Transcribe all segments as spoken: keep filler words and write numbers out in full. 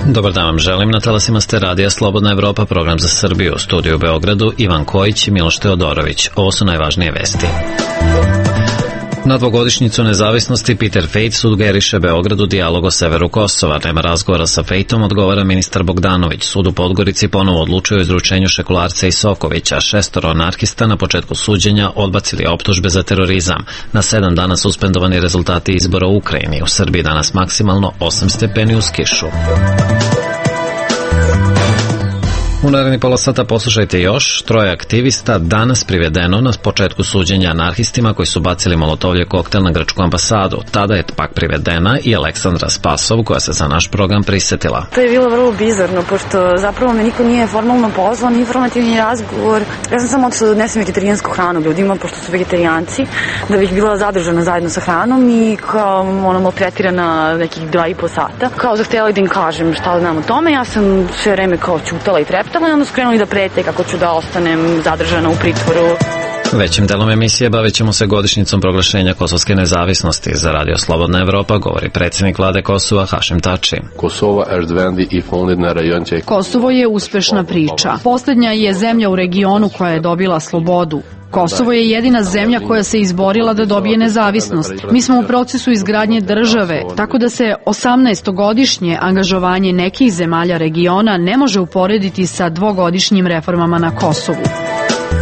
Dobar dan vam želim, na talasima ste radija Slobodna Evropa, program za Srbiju, u studiju u Beogradu, Ivan Kojić i Miloš Teodorović. Ovo su najvažnije vesti. Na dvogodišnjicu nezavisnosti Peter Fejt sugeriše Beogradu dijalog o severu Kosova. Nema razgovora sa Fejtom, odgovara ministar Bogdanović. Sud u Podgorici ponovo odlučuje o izručenju Šekularca i Sokovića. Šestoro anarhista na početku suđenja odbacili optužbe za terorizam. Na sedam dana suspendovani rezultati izbora u Ukrajini. U Srbiji danas maksimalno osam stepeni uz kišu. U naredni pola sata poslušajte još. Troje aktivista danas privedeno na početku suđenja anarhistima koji su bacili molotovljev koktel na grčku ambasadu. Tada je pak privedena i Aleksandra Spasov, koja se za naš program prisetila. To je bilo vrlo bizarno, pošto zapravo me niko nije formalno pozvao, ni informativni razgovor. Ja sam samo otišla da odnesem vegetarijansku hranu ljudima, pošto su vegetarijanci, da bih bila zadržana zajedno sa hranom i kao ono maltretirana nekih dva i po sata. Kao zahtjela da im kažem šta znam o tome, ja sam sve vreme kao ćutala i treptala. I onda su krenuli da prete kako ću da ostanem zadržana u pritvoru. Većim delom emisije bavit ćemo se godišnjicom proglašenja kosovske nezavisnosti. Za Radio Slobodna Evropa govori predsjednik vlade Kosova Hašim Tači. Kosovo je uspešna priča. Posljednja je zemlja u regionu koja je dobila slobodu. Kosovo je jedina zemlja koja se izborila da dobije nezavisnost. Mi smo u procesu izgradnje države, tako da se osamnaestogodišnje angažovanje nekih zemalja regiona ne može uporediti sa dvogodišnjim reformama na Kosovu.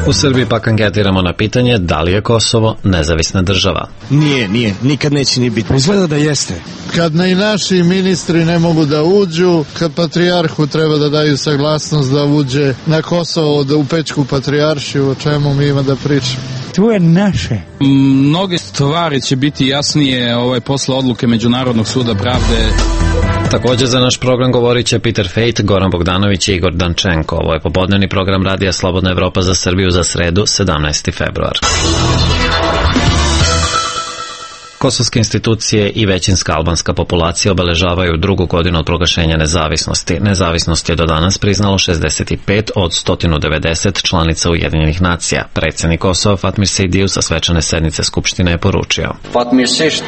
U Srbiji pak anketiramo na pitanje da li je Kosovo nezavisna država. Nije, nije, nikad neće ni biti. Izgleda da jeste. Kad i naši ministri ne mogu da uđu, kad patrijarhu treba da daju saglasnost da uđe na Kosovo, da u Pećku patrijaršiju, o čemu mi ima da pričamo. To je naše. Mnoge stvari će biti jasnije ovaj, posle odluke Međunarodnog suda pravde. Također za naš program govorit će Peter Fejt, Goran Bogdanović i Igor Dančenko. Ovo je popodnevni program Radija Slobodna Evropa za Srbiju za sredu, sedamnaesti februar. Kosovske institucije i većinska albanska populacija obeležavaju drugu godinu od proglašenja nezavisnosti. Nezavisnost je do danas priznalo šezdeset pet od sto devedeset članica Ujedinjenih nacija. Predsjednik Kosova Fatmir Sejdiu sa svečane sednice Skupštine je poručio. Fatmirësisht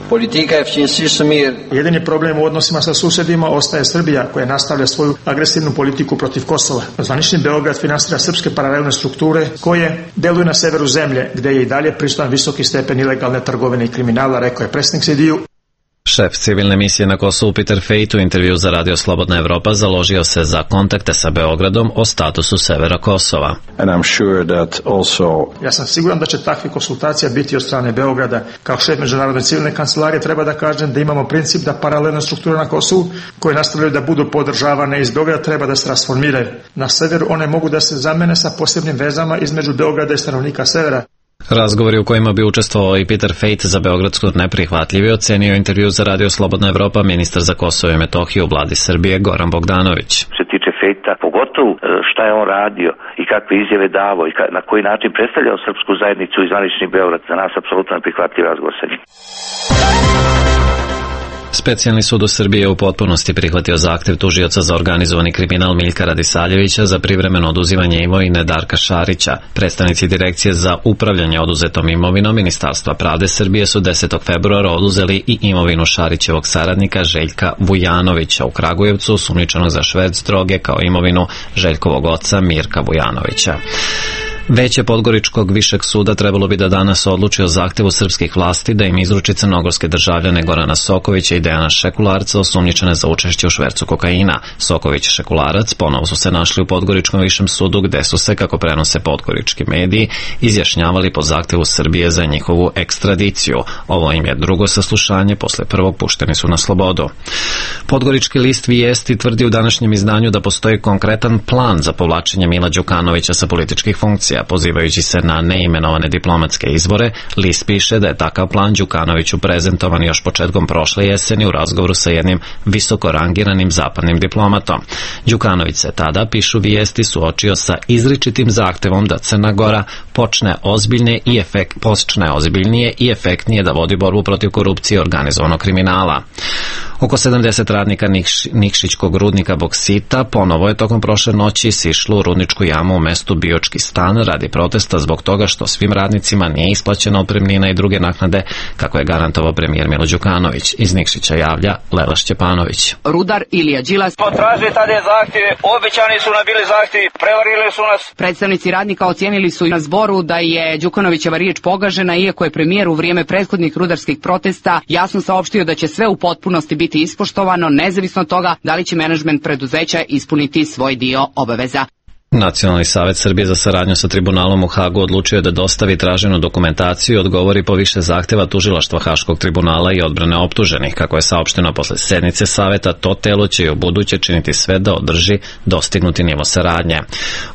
politika e fqinjësisë mirë. Jedini problem u odnosima sa susjedima ostaje Srbija, koja nastavlja svoju agresivnu politiku protiv Kosova. Zvanični Beograd finansira srpske paralelne strukture koje deluju na severu zemlje, gde je i dalje prisutan visoki stepen ilegalne trgovine i kriminala, rekao je predsjednik Sejdiu. Šef civilne misije na Kosovu Peter Fejt u intervju za Radio Slobodna Evropa založio se za kontakte sa Beogradom o statusu severa Kosova. And I'm sure that also... Ja sam siguran da će takve konsultacija biti od strane Beograda. Kao šef Međunarodne civilne kancelarije treba da kažem da imamo princip da paralelne strukture na Kosovu koje nastavljaju da budu podržavane iz Beograda treba da se transformiraju. Na severu one mogu da se zamene sa posebnim vezama između Beograda i stanovnika severa. Razgovori u kojima bi učestvovao i Peter Fejt za Beogradsku neprihvatljivi ocenio intervju za Radio Slobodna Evropa ministar za Kosovo i Metohiju u vladi Srbije Goran Bogdanović. Što se tiče Fejta, pogotovo šta je on radio i kakve izjave davao i na koji način predstavljao srpsku zajednicu i zvanični Beograd, za nas apsolutno neprihvatljiv razgovor sa njim. Specijalni sud u Srbiji je u potpunosti prihvatio zahtev tužioca za organizovani kriminal Miljka Radisaljevića za privremeno oduzimanje imovine Darka Šarića. Predstavnici Direkcije za upravljanje oduzetom imovinom Ministarstva pravde Srbije su desetog februara oduzeli i imovinu Šarićevog saradnika Željka Vujanovića u Kragujevcu, sumnjičenog za šverc droge, kao imovinu Željkovog oca Mirka Vujanovića. Veće Podgoričkog višeg suda trebalo bi da danas odluči o zahtevu srpskih vlasti da im izruči crnogorske državljane Gorana Sokovića i Dejana Šekularca osumnjičene za učešće u švercu kokaina. Soković i Šekularac ponovo su se našli u Podgoričkom višem sudu, gde su se, kako prenose podgorički mediji, izjašnjavali po zahtevu Srbije za njihovu ekstradiciju. Ovo im je drugo saslušanje, posle prvog pušteni su na slobodu. Podgorički list Vijesti tvrdi u današnjem izdanju da postoji konkretan plan za povlačenje Mila Đukanovića sa političkih funkcija. Pozivajući se na neimenovane diplomatske izbore, list piše da je takav plan Đukanoviću prezentovan još početkom prošle jeseni u razgovoru sa jednim visoko rangiranim zapadnim diplomatom. Đukanović se tada, pišu Vijesti, suočio sa izričitim zahtevom da Crna Gora počne ozbiljne i efekt, počne ozbiljnije i efektnije da vodi borbu protiv korupcije i organizovanog kriminala. Oko sedamdeset radnika Nikš, Nikšićkog rudnika boksita ponovo je tokom prošle noći sišlo u rudničku jamu u mestu Biočki stan radi protesta zbog toga što svim radnicima nije isplaćena otpremnina i druge naknade, kako je garantovao premijer Milo Đukanović. Iz Nikšića javlja Lela Šćepanović. Rudar Ilija Đilas potražuje tada zahtjeve, obećani su nam bili zahtjevi, prevarili su nas. Predstavnici radnika ocijenili su i na zboru da je Đukanovićeva riječ pogažena, iako je premijer u vrijeme prethodnih rudarskih protesta jasno saopštio da će sve u potpunosti biti ispoštovano, nezavisno od toga da li će menadžment preduzeća ispuniti svoj dio obaveza. Nacionalni savet Srbije za saradnju sa tribunalom u Hagu odlučio je da dostavi traženu dokumentaciju i odgovori po više zahteva tužilaštva Haškog tribunala i odbrane optuženih. Kako je saopšteno posle sednice saveta, to telo će i u buduće činiti sve da održi dostignuti nivo saradnje.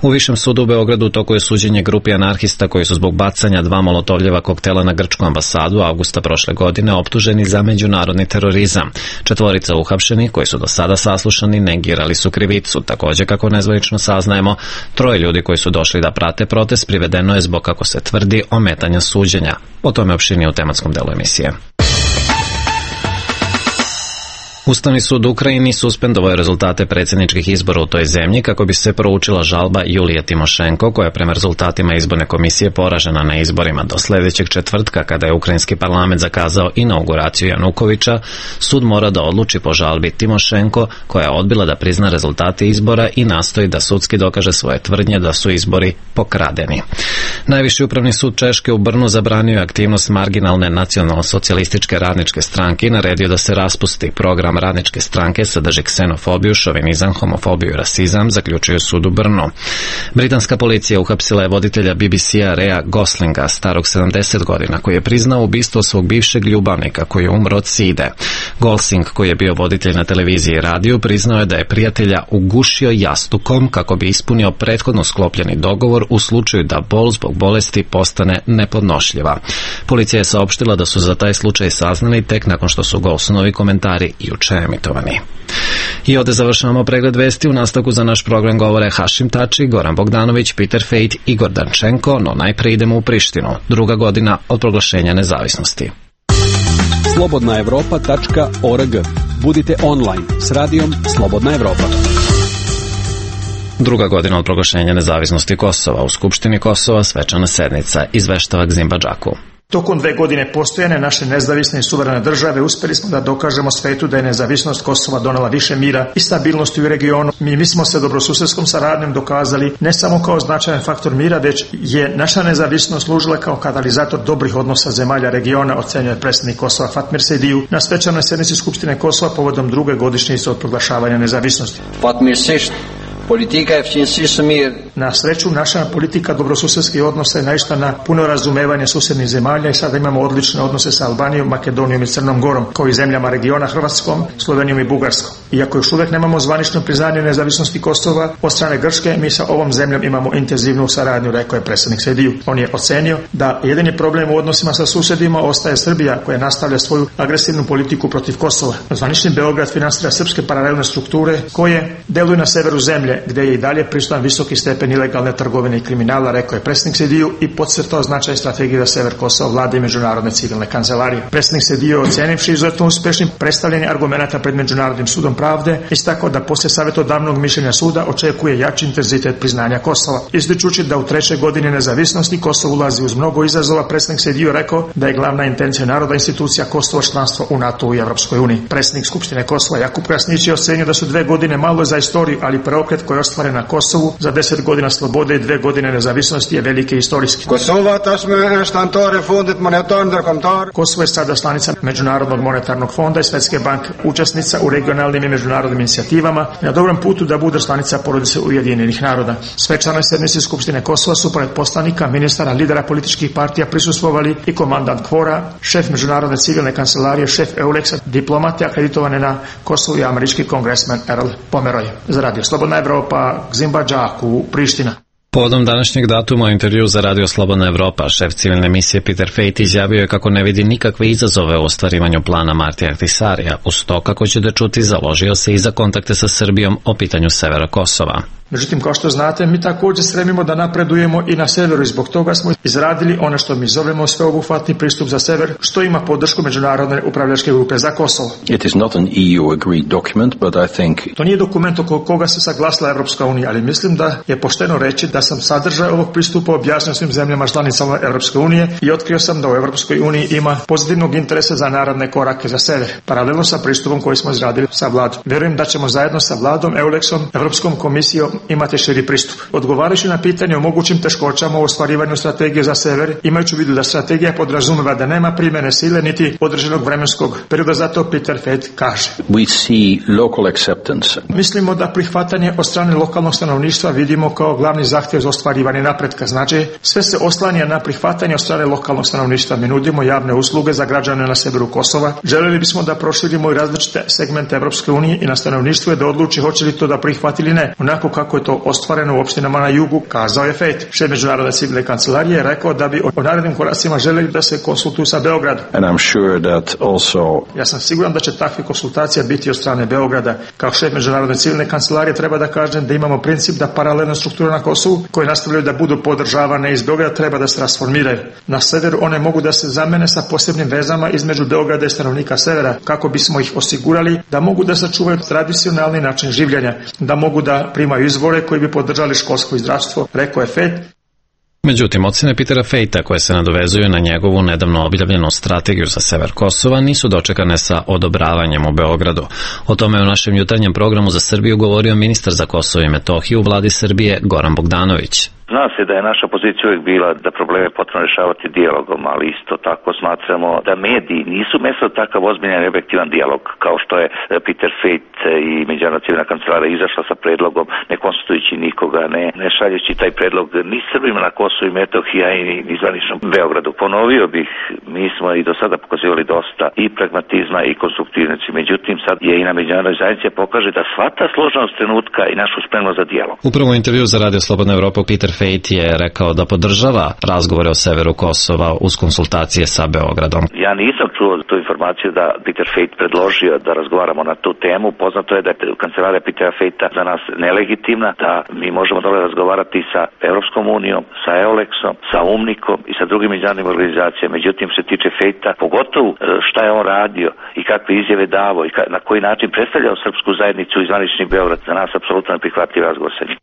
U Višem sudu u Beogradu u toku je suđenje grupi anarhista koji su zbog bacanja dva molotovljeva koktela na grčku ambasadu avgusta prošle godine optuženi za međunarodni terorizam. Četvorica uhapšenih koji su do sada saslušani negirali su krivicu. Također, kako nezvanično saznajemo, troje ljudi koji su došli da prate protest privedeno je zbog, kako se tvrdi, ometanja suđenja. O tome opširnije u tematskom delu emisije. Ustavni sud u Ukrajini suspendovao je rezultate predsjedničkih izbora u toj zemlji kako bi se proučila žalba Julije Timošenko, koja je prema rezultatima izborne komisije poražena na izborima. Do sljedećeg četvrtka, kada je ukrajinski parlament zakazao inauguraciju Janukovića, sud mora da odluči po žalbi Timošenko, koja je odbila da prizna rezultate izbora i nastoji da sudski dokaže svoje tvrdnje da su izbori pokradeni. Najviši upravni sud Češke u Brnu zabranio je aktivnost marginalne nacionalno-socijalističke radničke stranke i naredio da se raspusti. Program radničke stranke sadrži ksenofobiju, šovinizam, homofobiju i rasizam, zaključuju sud u Brnu. Britanska policija uhapsila je voditelja B B C-a Raya Goslinga, starog sedamdeset godina, koji je priznao ubistvo svog bivšeg ljubavnika koji je umro od side. Gosling, koji je bio voditelj na televiziji i radiju, priznao je da je prijatelja ugušio jastukom kako bi ispunio prethodno sklopljeni dogovor u slučaju da bol zbog bolesti postane nepodnošljiva. Policija je saopštila da su za taj slučaj saznali tek nakon što su Goslingovi komentari juče emitovani. I ovdje završavamo pregled vesti. U nastavku za naš program govore Hašim Tači, Goran Bogdanović, Peter Fejt i Igor Dančenko, no najprije idemo u Prištinu. Druga godina od proglašenja nezavisnosti. slobodna evropa tačka org. Budite online s radijom Slobodna Evropa. Druga godina od proglašenja nezavisnosti Kosova. U Skupštini Kosova svečana sednica, izveštava Gzimba Džaku. Tokom dve godine postojane naše nezavisne i suverene države uspjeli smo da dokažemo svetu da je nezavisnost Kosova donela više mira i stabilnosti u regionu. Mi, mi smo se dobrosusedskom saradnjom dokazali ne samo kao značajan faktor mira, već je naša nezavisnost služila kao katalizator dobrih odnosa zemalja regiona, ocenjuje predsjednik Kosova Fatmir Sejdiju na svečanoj sednici Skupštine Kosova povodom druge godišnjice od proglašavanja nezavisnosti. Fatmir Sejdiju. Politika je včinsi mir. Na sreću, naša politika dobrosusedskih odnosa je naišla na puno razumevanje susjednih zemalja i sada imamo odlične odnose sa Albanijom, Makedonijom i Crnom Gorom, kao i zemljama regiona Hrvatskom, Slovenijom i Bugarskom. Iako još uvijek nemamo zvanično priznanje nezavisnosti Kosova od strane Grčke, mi sa ovom zemljom imamo intenzivnu saradnju, rekao je predsjednik Sejdiju. On je ocenio da jedini problem u odnosima sa susjedima ostaje Srbija, koja nastavlja svoju agresivnu politiku protiv Kosova. Zvanični Beograd finansira srpske paralelne strukture koje deluju na severu zemlje, gdje je i dalje prisutan visoki stepen ilegalne trgovine i kriminala, rekao je predsjednik Sejdiju i podcrtao značaj strategije za sever Kosova vlade i međunarodne civilne kancelarije. Predsjednik Sejdiju, ocenivši izuzetno uspješnim predstavljanje argumenata pred Međunarodnim sudom pravde, istakao da poslije savjetodavnog mišljenja suda očekuje jači intenzitet priznanja Kosova. Ističući da u trećoj godini nezavisnosti Kosovo ulazi uz mnogo izazova, predsjednik Sejdiju rekao da je glavna intencija naroda institucija Kosovo članstvo u NATO i Europskoj uniji. Predsjednik Skupštine Kosova Jakub Krasnić je ocenio da su dve godine malo za istoriju, ali preokret koji je ostvaren na Kosovu za deset godina slobode i dve godine nezavisnosti je veliki i istorijski. Kosovo je sada članica Međunarodnog monetarnog fonda i Svjetske banke, učesnica u regionalnim i međunarodnim inicijativama i na dobrom putu da bude članica porodice Ujedinjenih naroda. Svečanoj sednici Skupštine Kosova su pored poslanika, ministara, lidera političkih partija prisustvovali i komandant Kvora, šef Međunarodne civilne kancelarije, šef Euleksa, diplomate akreditovane na Kosovu i američki kongresmen Earl Pomeroy. Za Radio Slobodna Evropa, Gzimba Džaku, Priština. Povodom današnjeg datuma u intervju za Radio Slobodna Evropa, šef civilne emisije Peter Fejt izjavio je kako ne vidi nikakve izazove u ostvarivanju plana Martija Ahtisarija. Uz to, kako ćete čuti, založio se i za kontakte sa Srbijom o pitanju severa Kosova. Međutim, kao što znate, mi također stremimo da napredujemo i na severu i zbog toga smo izradili ono što mi zovemo sveobuhvatni pristup za sever, što ima podršku Međunarodne upravljačke grupe za Kosovo. It is not an E U agreed document, but I think... To nije dokument oko koga se saglasila Evropska unija, ali mislim da je pošteno reći da sam sadržaj ovog pristupa objasnio svim zemljama članicama Evropske unije i otkrio sam da u Evropskoj uniji ima pozitivnog interesa za naredne korake za sever, paralelno sa pristupom koji smo izradili sa vladom. Vjerujem da ćemo zajedno sa vladom, Eulexom, Evropskom komisijom imati širi pristup. Odgovarajući na pitanje o mogućim teškoćama u ostvarivanju strategije za sever, imajući u vidu da strategija podrazumeva da nema primjene sile niti određenog vremenskog perioda, zato Peter Feit kaže: We see local acceptance. Mislimo da prihvatanje od strane lokalnog stanovništva vidimo kao glavni zahtjev za ostvarivanje napretka. Znači, sve se oslanja na prihvatanje od strane lokalnog stanovništva. Mi nudimo javne usluge za građane na severu Kosova. Željeli bismo da proširimo i različite segmente Evropske unije i na stanovništvu je da odluči hoće li to da prihvati ili ne, onako kako je to ostvareno u opštinama na jugu, kazao je Feit. Šef Međunarodne civilne kancelarije je rekao da bi o narednim koracima željeli da se konsultuju sa Beogradom. And I'm sure that also... Ja sam siguran da će takve konsultacija biti od strane Beograda. Kao šef Međunarodne civilne kancelarije treba da kažem da imamo princip da paralelna struktura na Kosovu, koje nastavljaju da budu podržavane iz Beograda, treba da se transformiraju. Na severu one mogu da se zamene sa posebnim vezama između Beograda i stanovnika severa, kako bismo ih osigurali da mogu da sačuvaju tradicionalni način življenja, da mogu da primaju izvore koji bi podržali školsko i zdravstvo, rekao je Feit. Međutim, ocene Petera Feita, koje se nadovezuju na njegovu nedavno objavljenu strategiju za sever Kosova, nisu dočekane sa odobravanjem u Beogradu. O tome je u našem jutarnjem programu za Srbiju govorio ministar za Kosovo i Metohiju u vladi Srbije Goran Bogdanović. Zna se da je naša pozicija uvijek bila da probleme potrebno rješavati dijalogom, ali isto tako smatramo da mediji nisu mesto takav ozbiljan i objektivan dijalog, kao što je Peter Feit i Međunarodna civilna kancelarija izašla sa predlogom, ne konstitujući nikoga, ne, ne šaljući taj predlog ni Srbima na Kosovu i Metohiji, a i ni zvaničnom Beogradu. Ponovio bih, mi smo i do sada pokazivali dosta i pragmatizma i konstruktivnosti, međutim sad je i na međunarodnoj zajednici pokaže da shvata složenost trenutka i našu spremnost za dijalog. Upravo u intervju za Radio Slobodna Evropa Peter Feit je rekao da podržava razgovore o severu Kosova uz konsultacije sa Beogradom. Ja nisam čuo tu informaciju da Peter Feit predložio da razgovaramo na tu temu. Poznato je da je kancelarija Petera Feita za nas nelegitimna, da mi možemo dole razgovarati sa Evropskom unijom, sa Eulexom, sa UMNIKom i sa drugim međunarodnim organizacijama. Međutim, što se tiče Feita, pogotovo šta je on radio i kakve izjave davo i na koji način predstavljao srpsku zajednicu i zvanični Beograd, za nas apsolutno neprihvatljiv razgovor sa njim.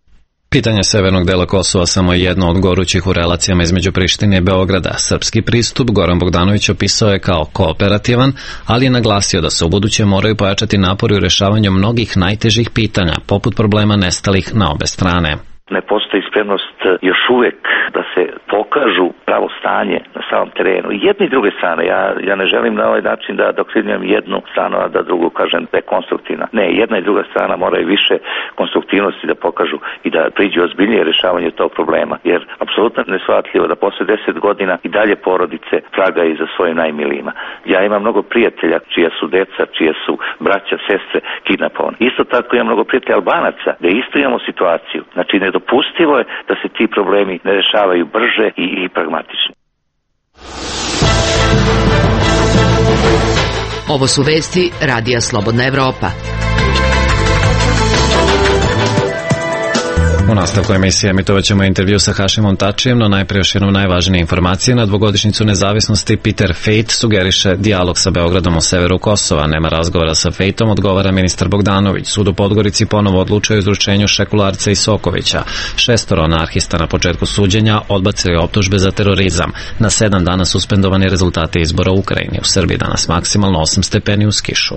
Pitanje severnog dela Kosova samo je jedno od gorućih u relacijama između Prištine i Beograda. Srpski pristup Goran Bogdanović opisao je kao kooperativan, ali je naglasio da se u buduće moraju pojačati napori u rešavanju mnogih najtežih pitanja, poput problema nestalih na obe strane. Ne postoji spremnost još uvijek da se pokažu pravo stanje na samom terenu. I jedne i druge strane. Ja, ja ne želim na ovaj način da doktrinujem jednu stranu, a da drugu kažem da je konstruktivna. Ne, jedna i druga strana moraju više konstruktivnosti da pokažu i da priđu ozbiljnije rješavanju tog problema. Jer apsolutno neshvatljivo da posle deset godina i dalje porodice tragaju za svojim najmilijima. Ja imam mnogo prijatelja čija su deca, čija su braća, sestre kidnapovani. Isto tako imam mnogo prijatelja Albanaca gde isto imamo situaciju. Znači, nedopustivo je da se ti problemi ne rešavaju brže i, i pragmatično. Ovo su vesti Radija Slobodna Evropa. U nastavku emisije emitovat ćemo intervju sa Hašimom Tačijem, no najprije još jednom najvažnije informacije. Na dvogodišnjicu nezavisnosti Peter Feit sugeriše dijalog sa Beogradom o severu Kosova. Nema razgovora sa Feitom, odgovara ministar Bogdanović. Sud u Podgorici ponovo odlučuje o izručenju Šekularca i Sokovića. Šestoro anarhista na početku suđenja odbacili optužbe za terorizam. Na sedam dana suspendovani rezultate izbora u Ukrajini. U Srbiji danas maksimalno osam stepeni uz kišu.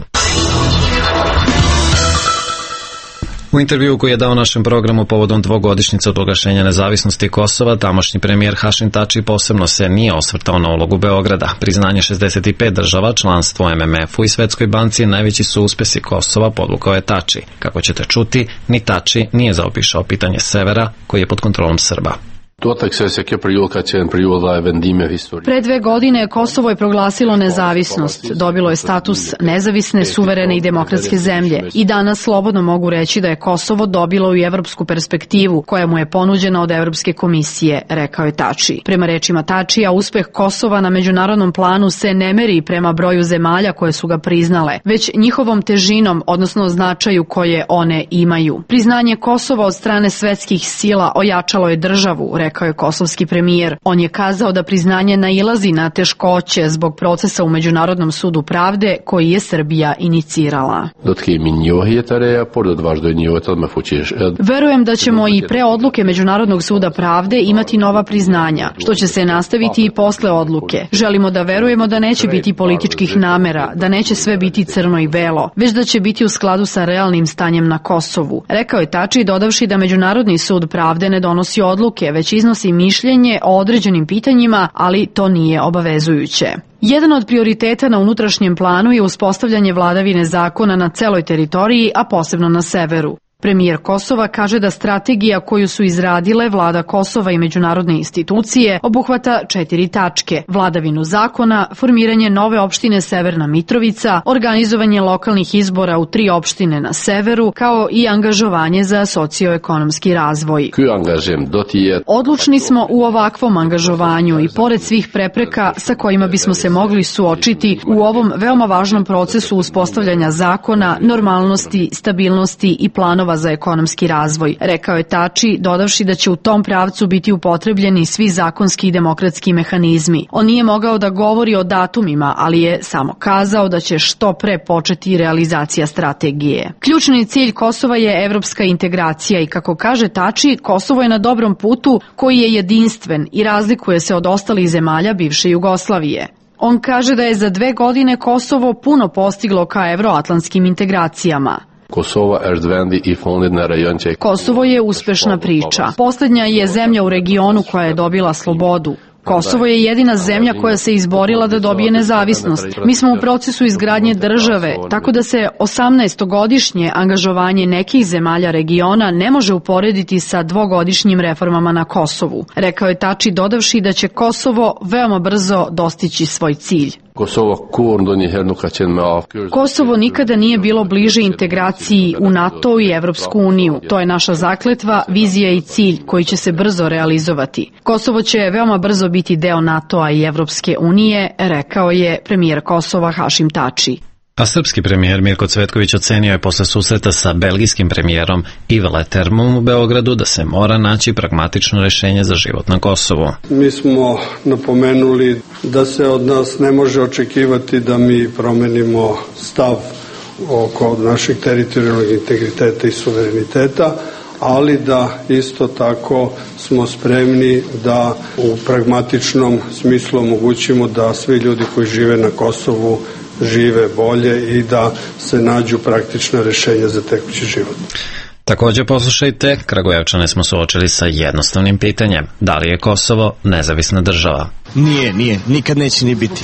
U intervju koji je dao našem programu povodom dvogodišnjice od proglašenja nezavisnosti Kosova, tamošnji premijer Hašim Tači posebno se nije osvrtao na ulogu Beograda. Priznanje šezdeset pet država, članstvo em em efu i Svetskoj banci najveći su uspesi Kosova, podvukao je Tači. Kako ćete čuti, ni Tači nije zaobišao pitanje severa koji je pod kontrolom Srba. Pre dve godine Kosovo je proglasilo nezavisnost, dobilo je status nezavisne, suverene i demokratske zemlje i danas slobodno mogu reći da je Kosovo dobilo i evropsku perspektivu koja mu je ponuđena od Evropske komisije, rekao je Tači. Prema rečima Tačija, uspeh Kosova na međunarodnom planu se ne meri prema broju zemalja koje su ga priznale, već njihovom težinom, odnosno značaju koje one imaju. Priznanje Kosova od strane svetskih sila ojačalo je državu, rekao je kosovski premijer. On je kazao da priznanje nailazi na teškoće zbog procesa u Međunarodnom sudu pravde koji je Srbija inicirala. Verujem da ćemo i pre odluke Međunarodnog suda pravde imati nova priznanja, što će se nastaviti i posle odluke. Želimo da verujemo da neće biti političkih namera, da neće sve biti crno i belo, već da će biti u skladu sa realnim stanjem na Kosovu. Rekao je Tači, dodavši da Međunarodni sud pravde ne donosi odluke, već iznosi mišljenje o određenim pitanjima, ali to nije obavezujuće. Jedan od prioriteta na unutrašnjem planu je uspostavljanje vladavine zakona na celoj teritoriji, a posebno na severu. Premijer Kosova kaže da strategija koju su izradile vlada Kosova i međunarodne institucije obuhvata četiri tačke: vladavinu zakona, formiranje nove opštine Severna Mitrovica, organizovanje lokalnih izbora u tri opštine na severu, kao i angažovanje za socioekonomski razvoj. Odlučni smo u ovakvom angažovanju i pored svih prepreka sa kojima bismo se mogli suočiti u ovom veoma važnom procesu uspostavljanja zakona, normalnosti, stabilnosti i planova za ekonomski razvoj, rekao je Tači, dodavši da će u tom pravcu biti upotrebljeni svi zakonski i demokratski mehanizmi. On nije mogao da govori o datumima, ali je samo kazao da će što pre početi realizacija strategije. Ključni cilj Kosova je evropska integracija i, kako kaže Tači, Kosovo je na dobrom putu koji je jedinstven i razlikuje se od ostalih zemalja bivše Jugoslavije. On kaže da je za dve godine Kosovo puno postiglo ka evroatlantskim integracijama. Kosovo je uspešna priča. Poslednja je zemlja u regionu koja je dobila slobodu. Kosovo je jedina zemlja koja se izborila da dobije nezavisnost. Mi smo u procesu izgradnje države, tako da se osamnaestogodišnje angažovanje nekih zemalja regiona ne može uporediti sa dvogodišnjim reformama na Kosovu, rekao je Tači, dodavši da će Kosovo veoma brzo dostići svoj cilj. Kosovo nikada nije bilo bliže integraciji u NATO i Evropsku uniju. To je naša zakletva, vizija i cilj koji će se brzo realizovati. Kosovo će veoma brzo biti deo NATO-a i Evropske unije, rekao je premijer Kosova Hašim Tači. A srpski premijer Mirko Cvetković ocenio je posle susreta sa belgijskim premijerom Yves Letermom u Beogradu da se mora naći pragmatično rešenje za život na Kosovu. Mi smo napomenuli da se od nas ne može očekivati da mi promenimo stav oko našeg teritorijalnog integriteta i suvereniteta, ali da isto tako smo spremni da u pragmatičnom smislu omogućimo da svi ljudi koji žive na Kosovu žive bolje i da se nađu praktična rešenja za tekući život. Također poslušajte, Kragujevčane smo suočili sa jednostavnim pitanjem: da li je Kosovo nezavisna država? Nije, nije, nikad neće ni biti.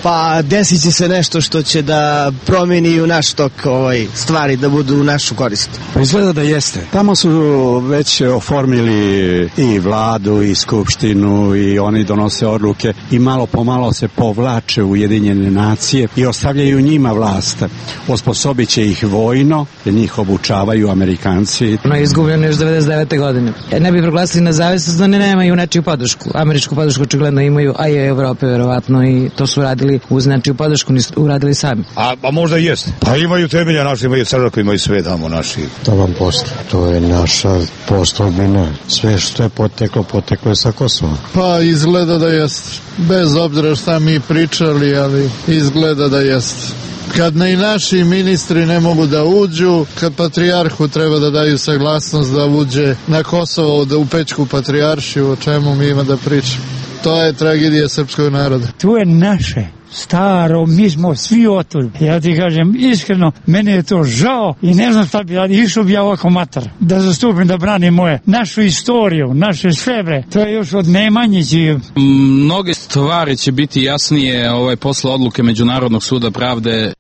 Pa desit će se nešto što će da promeni u naš tok ovaj, stvari, da budu u našu korist. Pa izgleda da jeste. Tamo su već oformili i vladu i skupštinu i oni donose odluke i malo po malo se povlače u Ujedinjene nacije i ostavljaju njima vlast. Osposobit će ih vojno, jer njih obučavaju Amerikanci. Ono je izgubljeno još devedeset devete godine. Ne bi proglasili nezavisnost da ne nemaju nečiju podršku. Američku podršku očigledno imaju, a i Evrope verovatno, i to su radili uz nečiju podršku, nisu uradili sami. A, a možda i jest. Pa imaju temelja naši, imaju crkve, imaju sve tamo naši. To vam postoji. To je naša postolbina. Sve što je poteklo, poteklo je sa Kosova. Pa izgleda da jest. Bez obzira šta mi pričali, ali izgleda da jest. Kad ne i naši ministri ne mogu da uđu, kad patrijarhu treba da daju saglasnost da uđe na Kosovo, da u Pećku patrijaršiju, o čemu mi ima da pričamo. To je tragedija srpskog naroda. To je naše, staro, mi smo svi otud. Ja ti kažem, iskreno, mene je to žao i ne znam šta bi radi, išao bi ja ovako matar, da zastupim, da branim moje, našu istoriju, naše svebre. To je još od Nemanjići. Mnoge stvari će biti jasnije ovaj posle odluke Međunarodnog suda pravde.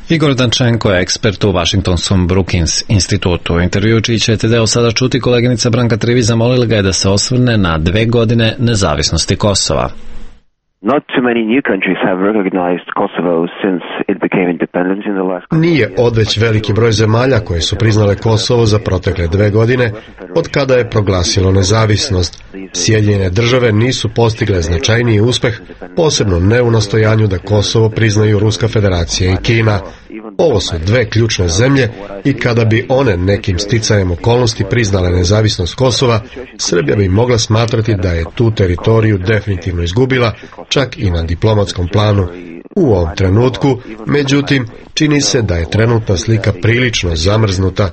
Igor Dančenko je ekspert u Washingtonskom Brookings institutu. U intervju čiji ćete deo sada čuti, koleginica Branka Trivi zamolila ga je da se osvrne na dve godine nezavisnosti Kosova. Nije odveć veliki broj zemalja koje su priznale Kosovo za protekle dve godine od kada je proglasilo nezavisnost. Sjedinjene države nisu postigle značajniji uspeh, posebno ne u nastojanju da Kosovo priznaju Ruska federacija i Kina. Ovo su dve ključne zemlje i kada bi one nekim sticajem okolnosti priznale nezavisnost Kosova, Srbija bi mogla smatrati da je tu teritoriju definitivno izgubila, čak i na diplomatskom planu. U ovom trenutku, međutim, čini se da je trenutna slika prilično zamrznuta.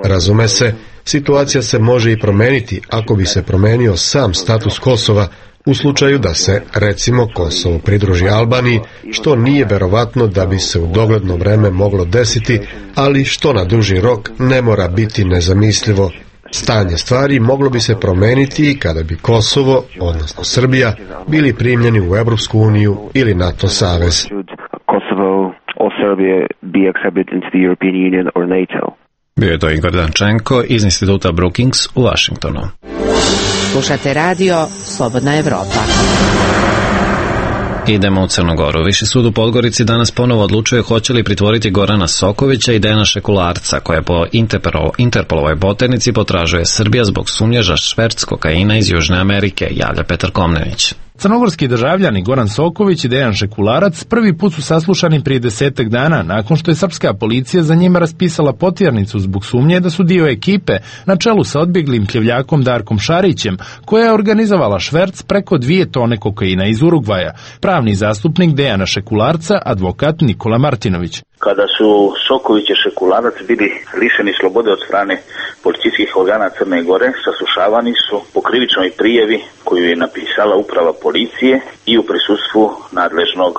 Razume se, situacija se može i promeniti ako bi se promenio sam status Kosova, u slučaju da se, recimo, Kosovo pridruži Albaniji, što nije verovatno da bi se u dogledno vreme moglo desiti, ali što na duži rok ne mora biti nezamislivo. Stanje stvari moglo bi se promeniti kada bi Kosovo, odnosno Srbija, bili primljeni u Evropsku uniju ili NATO savez. Bio je to Igor Dančenko iz instituta Brookings u Washingtonu. Slušate radio Slobodna Evropa. Idemo u Crnu Goru. Viši sud u Podgorici danas ponovo odlučuje hoće li pritvoriti Gorana Sokovića i Dejana Šekularca, koje po Interpolovoj poternici potražuje Srbija zbog sumnje šverc kokaina iz Južne Amerike, javlja Petar Komnenić. Crnogorski državljani Goran Soković i Dejan Šekularac prvi put su saslušani prije desetak dana nakon što je srpska policija za njima raspisala potjernicu zbog sumnje da su dio ekipe na čelu sa odbjeglim kljevljakom Darkom Šarićem, koja je organizovala šverc preko dvije tone kokaina iz Urugvaja. Pravni zastupnik Dejana Šekularca, advokat Nikola Martinović. Kada su Soković i Šekularac bili lišeni slobode od strane policijskih organa Crne Gore, saslušavani su po krivičnoj prijavi koju je napisala uprava policije i u prisustvu nadležnog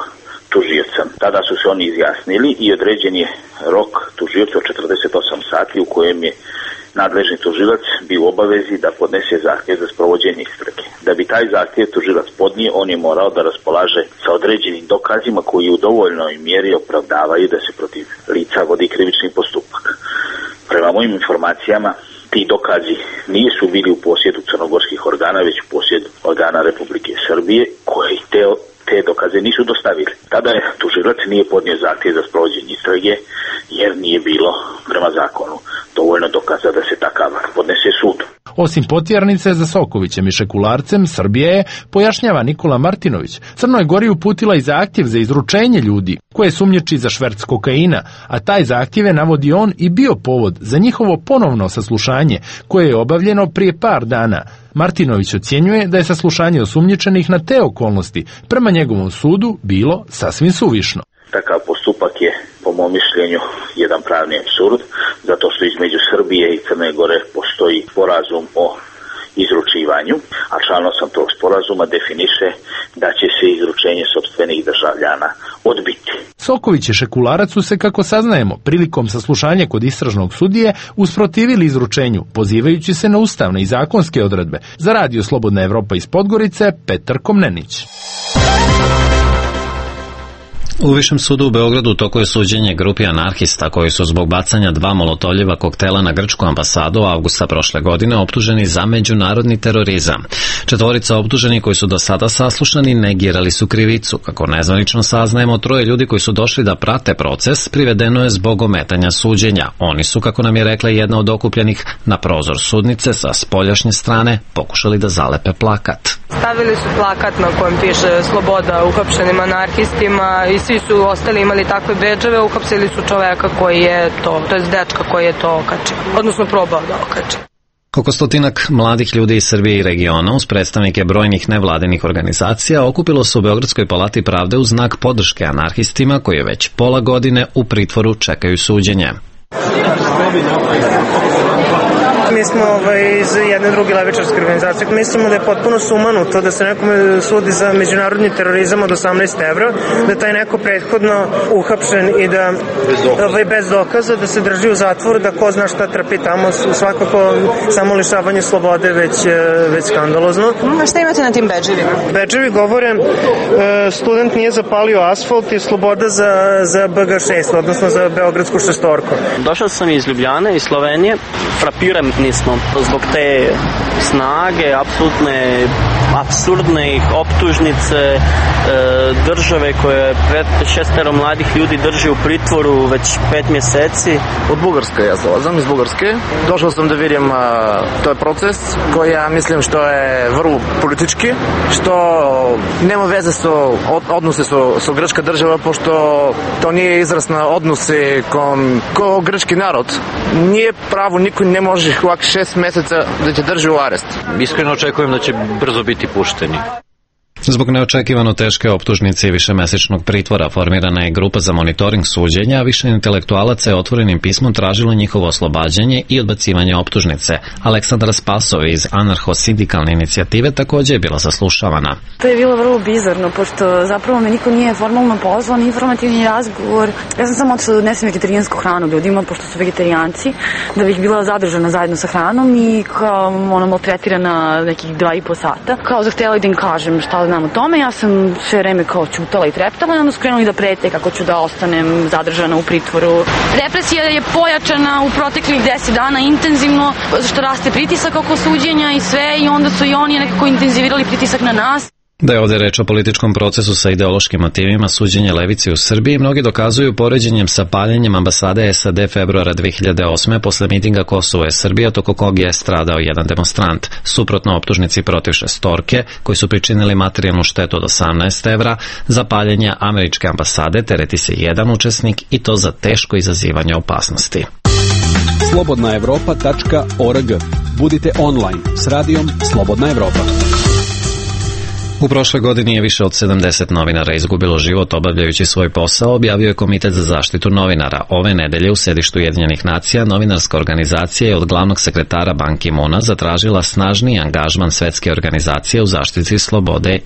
tužioca. Tada su se oni izjasnili i određen je rok tužioca od četrdeset osam sati u kojem je nadležni tužilac bio u obavezi da podnese zahtjev za sprovođenje istrage. Da bi taj zahtjev tužilac podnio, on je morao da raspolaže sa određenim dokazima koji u dovoljnoj mjeri opravdavaju da se protiv lica vodi krivični postupak. Prema mojim informacijama, ti dokazi nisu bili u posjedu crnogorskih organa, već u posjedu organa Republike Srbije, koji te, te dokaze nisu dostavili. Tada je tužilac nije podnio zahtjev za sprovođenje istrage, jer nije bilo prema zakonu dovoljno dokaza da se takav podnese sudu. Osim potjernice za Sokovićem i Šekularcem, Srbija je, pojašnjava Nikola Martinović, Crnoj Gori uputila i zahtjev za izručenje ljudi koje sumnjiči za šverc kokaina, a taj zahtjev je, navodi on, i bio povod za njihovo ponovno saslušanje koje je obavljeno prije par dana. Martinović ocjenjuje da je saslušanje osumnjičenih na te okolnosti prema njegovom sudu bilo sasvim suvišno. Takav postupak je, po mom mišljenju, jedan pravni apsurd, zato što između Srbije i Crne Gore postoji sporazum o izručivanju, a član osam tog sporazuma definiše da će se izručenje sopstvenih državljana odbiti. Soković i Šekularac su se, kako saznajemo, prilikom saslušanja kod istražnog sudije usprotivili izručenju, pozivajući se na ustavne i zakonske odredbe. Za radio Slobodna Evropa iz Podgorice, Petar Komnenić. U Višem sudu u Beogradu u toku je suđenje grupi anarhista koji su zbog bacanja dva molotovljiva koktela na grčku ambasadu avgusta prošle godine optuženi za međunarodni terorizam. Četvorica optuženih koji su do sada saslušani negirali su krivicu. Kako nezvanično saznajemo, troje ljudi koji su došli da prate proces privedeno je zbog ometanja suđenja. Oni su, kako nam je rekla jedna od okupljenih, na prozor sudnice sa spoljašnje strane pokušali da zalepe plakat. Stavili su plakat na kojem piše sloboda uhapšenim anarhistima i svi su ostali imali takve bedževe, uhapsili su čoveka koji je to, to je dečka koji je to okačio, odnosno probao da okači. Oko stotinak mladih ljudi iz Srbije i regiona uz predstavnike brojnih nevladinih organizacija okupilo se u Beogradskoj palati pravde u znak podrške anarhistima koji već pola godine u pritvoru čekaju suđenje. Mi smo ovaj, iz jedne druge levičarske organizacije. Mislimo da je potpuno sumanuto da se nekome sudi za međunarodni terorizam od osamnaest evra, da taj neko prethodno uhapšen i da ovaj, bez dokaza, da se drži u zatvoru, da ko zna šta trpi tamo, svakako samo lišavanje slobode već, već skandalozno. A šta imate na tim bedževima? Bedževi govore student nije zapalio asfalt i sloboda za, za B G šest, odnosno za Beogradsku šestorku. Došao sam iz Ljubljane, iz Slovenije. Frapirani smo zbog te snage, apsolutne apsurdne optužnice države koje pred šestero mladih ljudi drži u pritvoru već pet mjeseci. Od Bugarske ja dolazam, iz Bugarske. Došao sam da vidim to je proces koji ja mislim što je vrlo politički, što nema veze sa odnose sa, sa grčka država, pošto to nije izraz na odnose kom, ko grčki narod. Nije pravo, niko ne može ovak šest meseca da će drži u arest. Iskreno očekujem da će brzo biti pušteni. Zbog neočekivano teške optužnice i višemesečnog pritvora formirana je grupa za monitoring suđenja, a više intelektualaca je otvorenim pismom tražilo njihovo oslobađanje i odbacivanje optužnice. Aleksandra Spasov iz anarcho-sindikalne inicijative također je bila saslušavana. To je bilo vrlo bizarno, pošto zapravo me niko nije formalno pozvao, ni informativni razgovor. Ja sam samo otišla da odnesem vegetarijansku hranu ljudima, pošto su vegetarijanci, da bih bila zadržana zajedno sa hranom i kao ono maltretirana nekih dva i po sata. Kao zahtjela da im kažem šta znam o tome, ja sam sve vreme kao ćutala i treptala i onda su krenuli da prete kako ću da ostanem zadržana u pritvoru. Represija je pojačana u proteklih deset dana intenzivno, što raste pritisak oko suđenja i sve, i onda su i oni nekako intenzivirali pritisak na nas. Da je ovdje reč o političkom procesu sa ideološkim motivima suđenja levici u Srbiji, mnogi dokazuju poređenjem sa paljenjem ambasade S A D februara dve hiljade osme posle mitinga Kosovo je Srbija, toko kog je stradao jedan demonstrant. Suprotno optužnici protiv šestorke, koji su pričinili materijalnu štetu od osamnaest evra, za paljenje američke ambasade tereti se jedan učesnik, i to za teško izazivanje opasnosti. slobodna evropa tačka org. Budite online s radijom Slobodna Evropa. U prošloj godini je više od sedamdeset novinara izgubilo život obavljajući svoj posao, objavio je Komitet za zaštitu novinara. Ove nedelje u sedištu Ujedinjenih nacija novinarska organizacija je od glavnog sekretara Ban Ki-moona zatražila snažniji angažman svetske organizacije u zaštiti slobode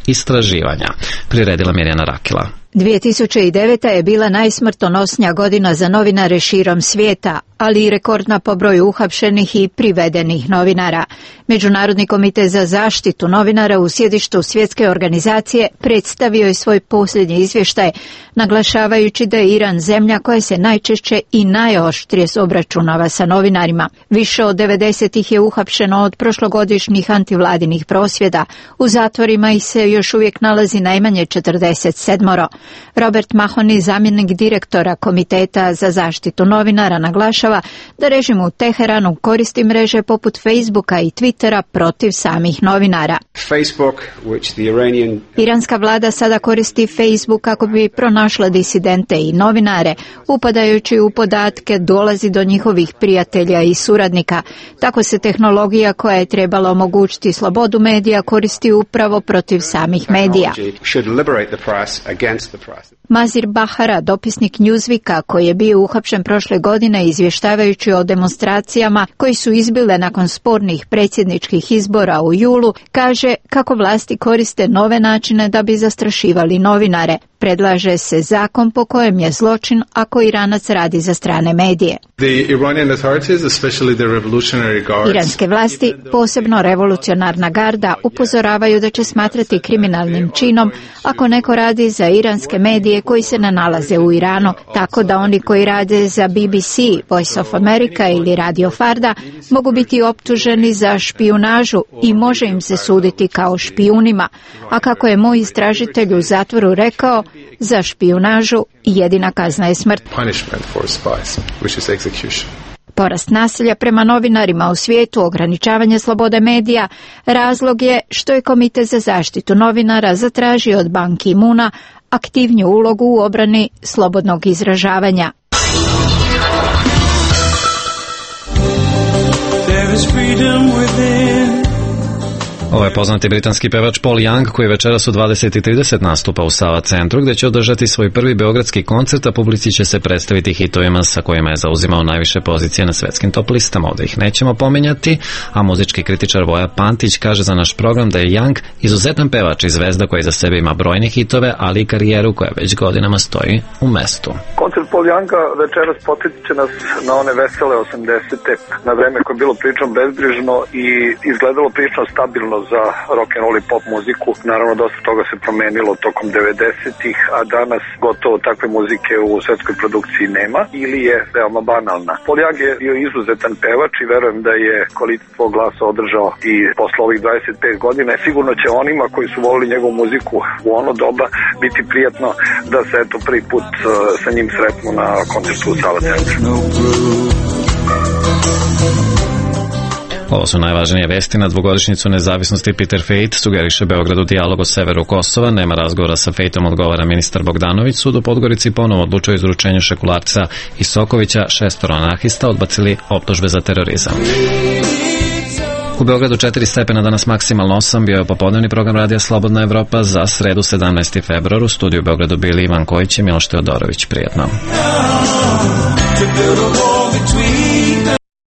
istraživanja. Priredila Mirjana Rakila. dvije tisuće deveta. je bila najsmrtonosnija godina za novinare širom svijeta, ali i rekordna po broju uhapšenih i privedenih novinara. Međunarodni komitet za zaštitu novinara u sjedištu svjetske organizacije predstavio je svoj posljednji izvještaj, naglašavajući da je Iran zemlja koja se najčešće i najoštrije obračunava sa novinarima. Više od devedeset ih je uhapšeno od prošlogodišnjih antivladinih prosvjeda. U zatvorima ih se još uvijek nalazi najmanje četrdeset sedam. Robert Mahoney, zamjenik direktora Komiteta za zaštitu novinara, naglašava da režim u Teheranu koristi mreže poput Facebooka i Twittera protiv samih novinara. Facebook, which the Iranian... Iranska vlada sada koristi Facebook kako bi pronašla disidente i novinare, upadajući u podatke dolazi do njihovih prijatelja i suradnika. Tako se tehnologija koja je trebala omogućiti slobodu medija koristi upravo protiv samih medija. Mazir Bahara, dopisnik Newsweeka koji je bio uhapšen prošle godine izvještavajući o demonstracijama koji su izbile nakon spornih predsjedničkih izbora u julu, kaže kako vlasti koriste nove načine da bi zastrašivali novinare. Predlaže se zakon po kojem je zločin ako Iranac radi za strane medije. Iranske vlasti, posebno revolucionarna garda, upozoravaju da će smatrati kriminalnim činom ako neko radi za iranske medije koji se ne nalaze u Iranu, tako da oni koji rade za B B C, Voice of America ili Radio Farda mogu biti optuženi za špijunažu i može im se suditi kao špijunima. A kako je moj istražitelj u zatvoru rekao, za špijunažu jedina kazna je smrt. Porast nasilja prema novinarima u svijetu, ograničavanje slobode medija, razlog je što je Komitet za zaštitu novinara zatražio od Ban Ki-moona aktivniju ulogu u obrani slobodnog izražavanja. Ovo je poznati britanski pevač Paul Young koji večeras u dvadeset i trideset nastupa u Sava centru gde će održati svoj prvi beogradski koncert, a publici će se predstaviti hitovima sa kojima je zauzimao najviše pozicije na svetskim top listama. Ovde ih nećemo pominjati, a muzički kritičar Voja Pantić kaže za naš program da je Young izuzetan pevač i zvezda koji za sebe ima brojne hitove, ali i karijeru koja već godinama stoji u mestu. Koncert Paul Younga večeras podsjetit će nas na one vesele osamdesete, na vreme koje je bilo prilično bezbrižno i izgledalo prilično stabilno za rock and roll i pop muziku. Naravno, dosta toga se promenilo tokom devedesetih, a danas gotovo takve muzike u svetskoj produkciji nema ili je veoma banalna. Paul Young je bio izuzetan pevač i verujem da je kvalitet svog glasa održao i posle ovih dvadeset pet godina. Sigurno će onima koji su volili njegovu muziku u ono doba biti prijatno da se eto prvi put sa njim sretnu na koncertu u Sava centru. Ovo su najvažnije vesti na dvogodišnjicu nezavisnosti. Peter Fejt sugeriše Beogradu dijalog o severu Kosova. Nema razgovora sa Fejtom, odgovara ministar Bogdanović. Sud u Podgorici ponovo odlučio o izručenju Šekularca i Sokovića. Šestoro anarhista odbacili optužbe za terorizam. U Beogradu četiri stepena, danas maksimalno osam, bio je popodnevni program radija Slobodna Evropa za sredu sedamnaesti februar. U studiju u Beogradu bili Ivan Kojić i Miloš Teodorović. Prijetno.